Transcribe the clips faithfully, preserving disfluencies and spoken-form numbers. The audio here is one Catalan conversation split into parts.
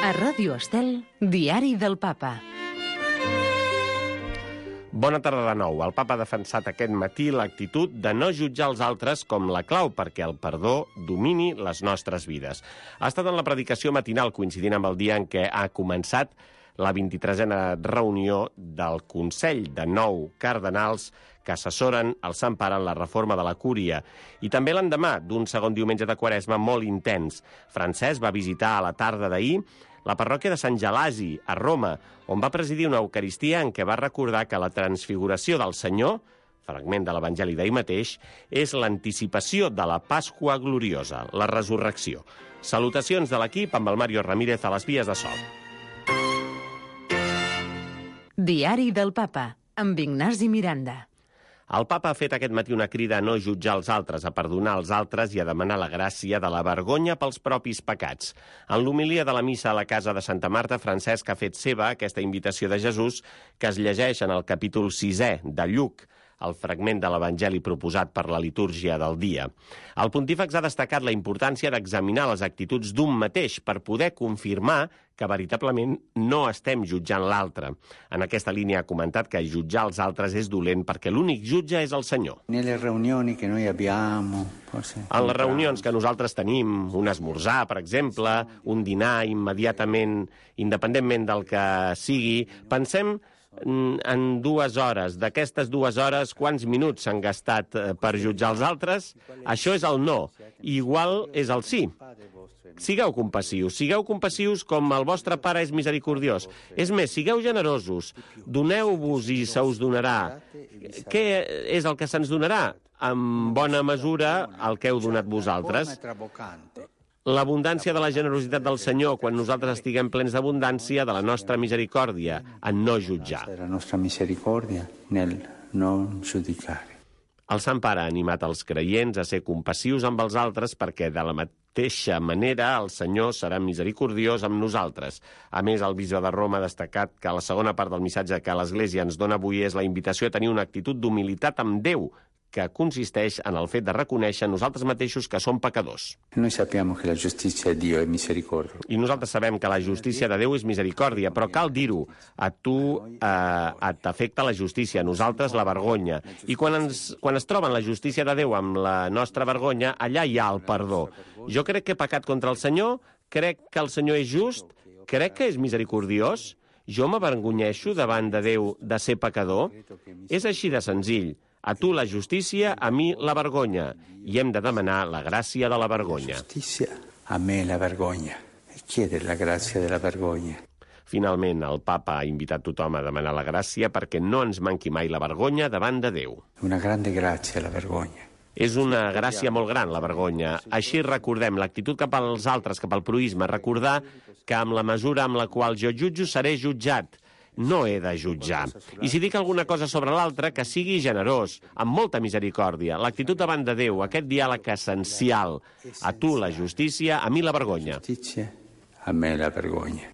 A Ràdio Estel, Diari del Papa. Bona tarda de nou. El papa ha defensat aquest matí l'actitud de no jutjar els altres com la clau perquè el perdó domini les nostres vides. Ha estat en la predicació matinal, coincidint amb el dia en què ha començat la vint-i-tresena reunió del Consell de nou cardenals que assessoren el Sant Pare en la reforma de la Cúria. I també l'endemà d'un segon diumenge de Quaresma molt intens. Francesc va visitar a la tarda d'ahir la parròquia de Sant Gelasi, a Roma, on va presidir una Eucaristia en què va recordar que la transfiguració del Senyor, fragment de l'Evangeli d'ahir mateix, és l'anticipació de la Pasqua gloriosa, la resurrecció. Salutacions de l'equip amb el Mario Ramírez a les vies de so. Diari del Papa, amb Ignasi Miranda. El papa ha fet aquest matí una crida a no jutjar els altres, a perdonar els altres i a demanar la gràcia de la vergonya pels propis pecats. En l'homilia de la missa a la casa de Santa Marta, Francesc ha fet seva aquesta invitació de Jesús que es llegeix en el capítol sisè de Lluc, el fragment de l'Evangeli proposat per la litúrgia del dia. El pontífex ha destacat la importància d'examinar les actituds d'un mateix per poder confirmar que veritablement no estem jutjant l'altre. En aquesta línia ha comentat que jutjar els altres és dolent perquè l'únic jutge és el Senyor. Nelle riunioni che noi abbiamo, forse... En les reunions que nosaltres tenim, un esmorzar, per exemple, un dinar immediatament, independentment del que sigui, pensem en dues hores. D'aquestes dues hores, quants minuts s'han gastat per jutjar els altres? Això és el no. Igual és el sí. Sigueu compassius. Sigueu compassius com el vostre Pare és misericordiós. És més, sigueu generosos. Doneu-vos i se us donarà. Què és el que se'ns donarà? En bona mesura el que heu donat vosaltres. L'abundància de la generositat del Senyor quan nosaltres estiguem plens d'abundància de la nostra misericòrdia, en no jutjar. La nostra misericòrdia nel non giudicare. El Sant Pare ha animat els creients a ser compassius amb els altres perquè de la mateixa manera el Senyor serà misericordiós amb nosaltres. A més, el bisbe de Roma ha destacat que la segona part del missatge que l'Església ens dona avui és la invitació a tenir una actitud d'humilitat amb Déu, que consisteix en el fet de reconèixer nosaltres mateixos que som pecadors. Noi sappiamo che la giustizia di Dio è misericordia. I nosaltres sabem que la justícia de Déu és misericòrdia, però cal dir-ho. A tu eh, t'afecta la justícia, a nosaltres la vergonya. I quan, ens, quan es troben la justícia de Déu amb la nostra vergonya, allà hi ha el perdó. Jo crec que he pecat contra el Senyor, crec que el Senyor és just, crec que és misericordiós, jo m'avergonyeixo davant de Déu de ser pecador. És així de senzill. A tu la justícia, a mi la vergonya. I hem de demanar la gràcia de la vergonya. Justícia, a me la vergonya. E chiedere la gràcia de la vergonya. Finalment, el papa ha invitat tothom a demanar la gràcia perquè no ens manqui mai la vergonya davant de Déu. Una grande gràcia, la vergonya. És una gràcia molt gran, la vergonya. Així recordem l'actitud cap als altres, cap al proïsme, recordar que amb la mesura amb la qual jo jutjo seré jutjat. No he de jutjar. I si dic alguna cosa sobre l'altre, que sigui generós, amb molta misericòrdia. L'actitud davant de Déu, aquest diàleg essencial. A tu la justícia, a mi la vergonya. Justícia, a me la vergonya.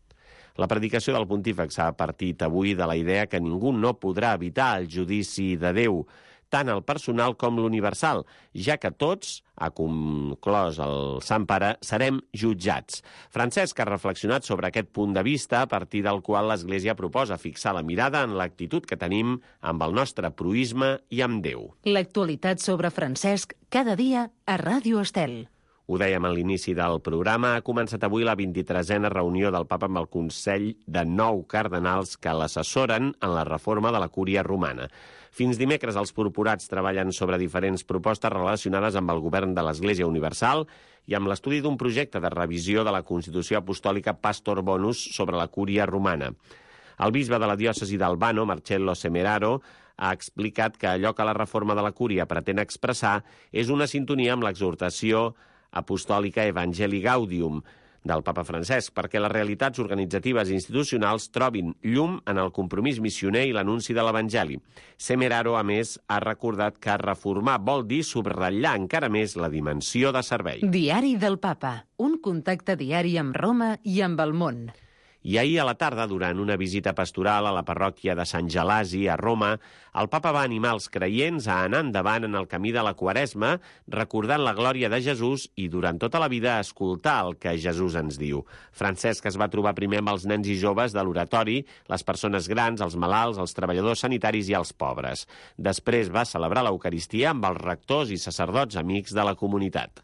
La predicació del pontífex ha partit avui de la idea que ningú no podrà evitar el judici de Déu, tant el personal com l'universal, ja que tots, ha conclòs el Sant Pare, serem jutjats. Francesc ha reflexionat sobre aquest punt de vista a partir del qual l'Església proposa fixar la mirada en l'actitud que tenim amb el nostre proïsme i amb Déu. L'actualitat sobre Francesc cada dia a Ràdio Estel. Ho dèiem a l'inici del programa, ha començat avui la vint-i-tresena reunió del Papa amb el Consell de nou cardenals que l'assessoren en la reforma de la Cúria romana. Fins dimecres els purpurats treballen sobre diferents propostes relacionades amb el govern de l'Església Universal i amb l'estudi d'un projecte de revisió de la Constitució Apostòlica Pastor Bonus sobre la Cúria romana. El bisbe de la diòcesi d'Albano, Marcello Semeraro, ha explicat que allò que la reforma de la Cúria pretén expressar és una sintonia amb l'exhortació apostòlica Evangelii Gaudium del papa Francesc, perquè les realitats organitzatives i institucionals trobin llum en el compromís missioner i l'anunci de l'Evangeli. Semeraro, a més, ha recordat que reformar vol dir subratllar encara més la dimensió de servei. Diari del Papa, un contacte diari amb Roma i amb el món. I ahir a la tarda, durant una visita pastoral a la parròquia de Sant Gelasi, a Roma, el papa va animar els creients a anar endavant en el camí de la Quaresma, recordant la glòria de Jesús i durant tota la vida escoltar el que Jesús ens diu. Francesc es va trobar primer amb els nens i joves de l'oratori, les persones grans, els malalts, els treballadors sanitaris i els pobres. Després va celebrar l'Eucaristia amb els rectors i sacerdots amics de la comunitat.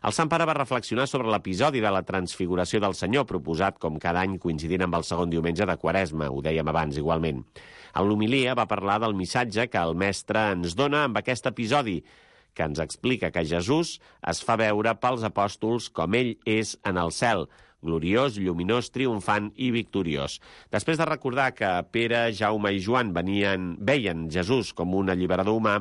El Sant Pare va reflexionar sobre l'episodi de la Transfiguració del Senyor, proposat com cada any coincidint amb el segon diumenge de Quaresma, ho dèiem abans igualment. En l'homilia va parlar del missatge que el mestre ens dona amb aquest episodi, que ens explica que Jesús es fa veure pels apòstols com ell és en el cel, gloriós, lluminós, triomfant i victoriós. Després de recordar que Pere, Jaume i Joan venien, veien Jesús com un alliberador humà,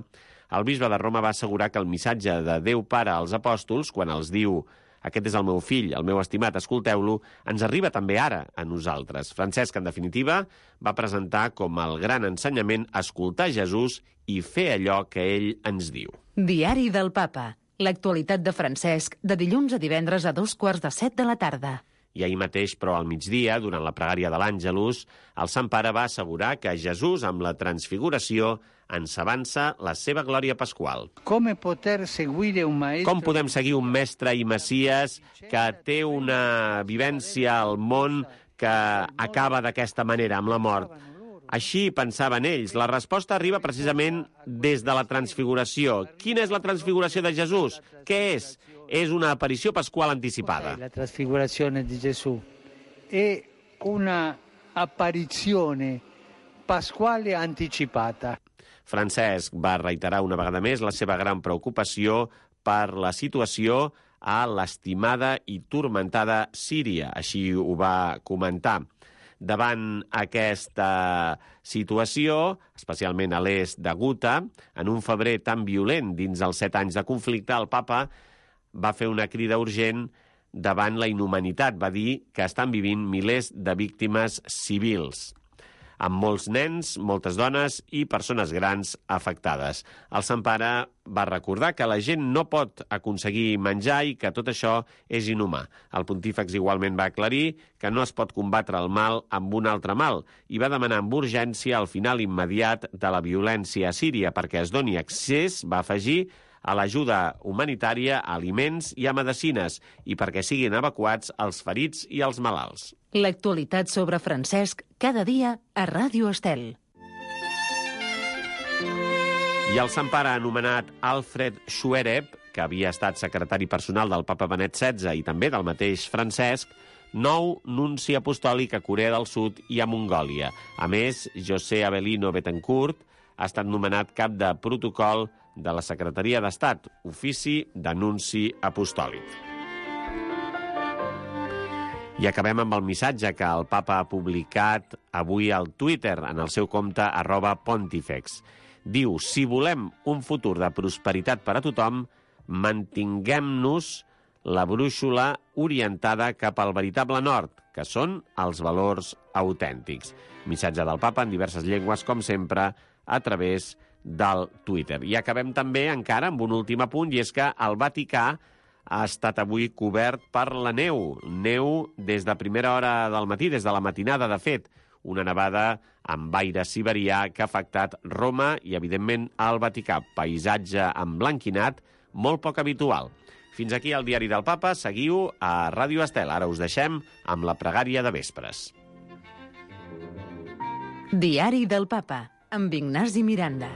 el bisbe de Roma va assegurar que el missatge de Déu Pare als apòstols, quan els diu «Aquest és el meu fill, el meu estimat, escolteu-lo», ens arriba també ara a nosaltres. Francesc, en definitiva, va presentar com el gran ensenyament escoltar Jesús i fer allò que ell ens diu. Diari del Papa. L'actualitat de Francesc, de dilluns a divendres a dos quarts de set de la tarda. I ahir mateix, però al migdia, durant la pregària de l'Àngelus, el Sant Pare va assegurar que Jesús, amb la transfiguració, ens avança la seva glòria pasqual. Com poder seguir un maestro... Com podem seguir un mestre i messies que té una vivència al món que acaba d'aquesta manera, amb la mort? Així pensaven ells. La resposta arriba precisament des de la transfiguració. Quina és la transfiguració de Jesús? Què és? És una aparició pasqual anticipada. La trasfigurazione di Gesù è una apparizione pasquale anticipata. Francesc va reiterar una vegada més la seva gran preocupació per la situació a l'estimada i turmentada Síria. Així ho va comentar. Davant aquesta situació, especialment a l'est de Guta, en un febrer tan violent dins els set anys de conflicte, el papa va fer una crida urgent davant la inhumanitat. Va dir que estan vivint milers de víctimes civils, amb molts nens, moltes dones i persones grans afectades. El Sant Pare va recordar que la gent no pot aconseguir menjar i que tot això és inhumà. El pontífex igualment va aclarir que no es pot combatre el mal amb un altre mal i va demanar amb urgència el final immediat de la violència a Síria perquè es doni accés, va afegir, a l'ajuda humanitària, a aliments i a medicines, i perquè siguin evacuats els ferits i els malalts. L'actualitat sobre Francesc, cada dia a Ràdio Estel. I el Sant Pare anomenat Alfred Schwerer, que havia estat secretari personal del papa Benet setze i també del mateix Francesc, nou nunci apostòlic a Corea del Sud i a Mongòlia. A més, José Avelino Betancourt ha estat nomenat cap de protocol de la Secretaria d'Estat, ofici d'anunci apostòlic. I acabem amb el missatge que el papa ha publicat avui al Twitter, en el seu compte arroba pontifex. Diu, si volem un futur de prosperitat per a tothom, mantinguem-nos la brúixola orientada cap al veritable nord, que són els valors autèntics. Missatge del papa en diverses llengües, com sempre, a través del Twitter. I acabem també encara amb un últim apunt, i és que el Vaticà ha estat avui cobert per la neu. Neu des de primera hora del matí, des de la matinada, de fet. Una nevada amb aire siberià que ha afectat Roma i, evidentment, el Vaticà. Paisatge emblanquinat, molt poc habitual. Fins aquí el Diari del Papa. Seguiu a Ràdio Estel. Ara us deixem amb la pregària de vespres. Diari del Papa, amb Ignasi Miranda.